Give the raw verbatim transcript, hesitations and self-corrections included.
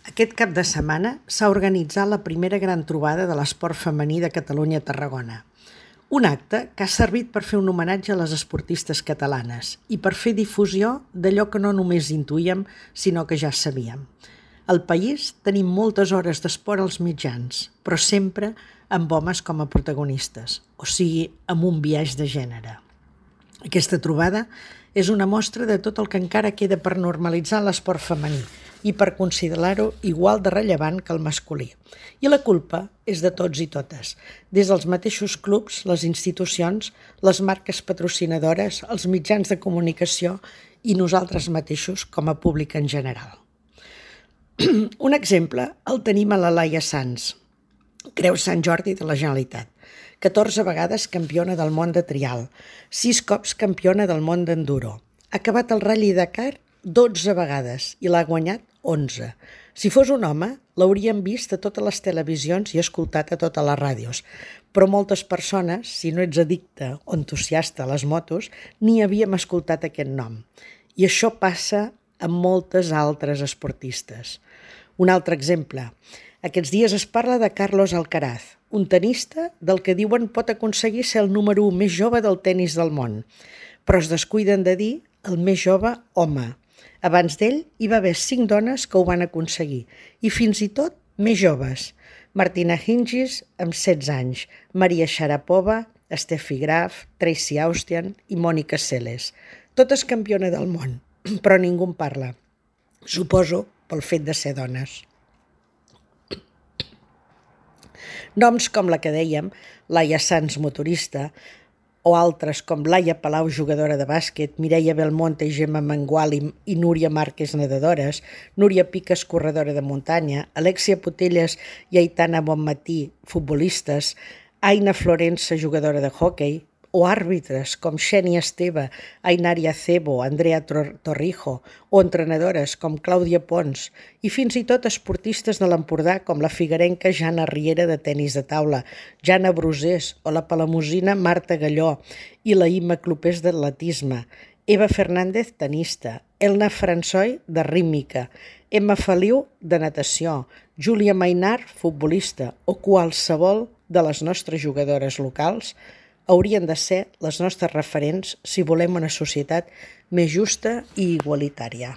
Aquest cap de setmana s'ha organitzat la primera gran trobada de l'esport femení de Catalunya a Tarragona. Un acte que ha servit per fer un homenatge a les esportistes catalanes i per fer difusió d'allò que no només intuïem, sinó que ja sabíem. Al país tenim moltes hores d'esport als mitjans, però sempre amb homes com a protagonistes, o sigui, amb un biaix de gènere. Aquesta trobada és una mostra de tot el que encara queda per normalitzar l'esport femení i per considerar-ho igual de rellevant que el masculí. I la culpa és de tots i totes, des dels mateixos clubs, les institucions, les marques patrocinadores, els mitjans de comunicació i nosaltres mateixos com a públic en general. Un exemple el tenim a la Laia Sanz, Creu Sant Jordi de la Generalitat, catorze vegades campiona del món de trial, sis cops campiona del món d'enduro. Ha acabat el Rally Dakar dotze vegades i l'ha guanyat onze. Si fos un home, l'hauríem vist a totes les televisions i escoltat a totes les ràdios, però moltes persones, si no ets addicte o entusiasta a les motos, ni havíem escoltat aquest nom. I això passa amb moltes altres esportistes. Un altre exemple. Aquests dies es parla de Carlos Alcaraz, un tenista del que diuen pot aconseguir ser el número u més jove del tenis del món, però es descuiden de dir el més jove home. Abans d'ell hi va haver cinc dones que ho van aconseguir, i fins i tot més joves. Martina Hingis, amb setze anys, Maria Sharapova, Steffi Graf, Tracy Austian i Mònica Seles. Totes campiona del món, però ningú en parla. Suposo pel fet de ser dones. Noms com la que dèiem, Laia Sanz, motorista, o altres com Laia Palau, jugadora de bàsquet, Mireia Belmonte i Gemma Mengual i Núria Márquez, nedadores, Núria Piques, corredora de muntanya, Alexia Putelles i Aitana Bonmatí, futbolistes, Aina Florença, jugadora de hoquei, o àrbitres com Xènia Esteve, Ainari Acebo, Andrea Torrijo, o entrenadores com Clàudia Pons, i fins i tot esportistes de l'Empordà com la figuerenca Jana Riera de tenis de taula, Jana Brusés o la palamosina Marta Galló i la Imma Clopés d'atletisme, Eva Fernández, tenista, Elna François, de rítmica, Emma Feliu, de natació, Júlia Mainar, futbolista, o qualsevol de les nostres jugadores locals haurien de ser les nostres referents si volem una societat més justa i igualitària.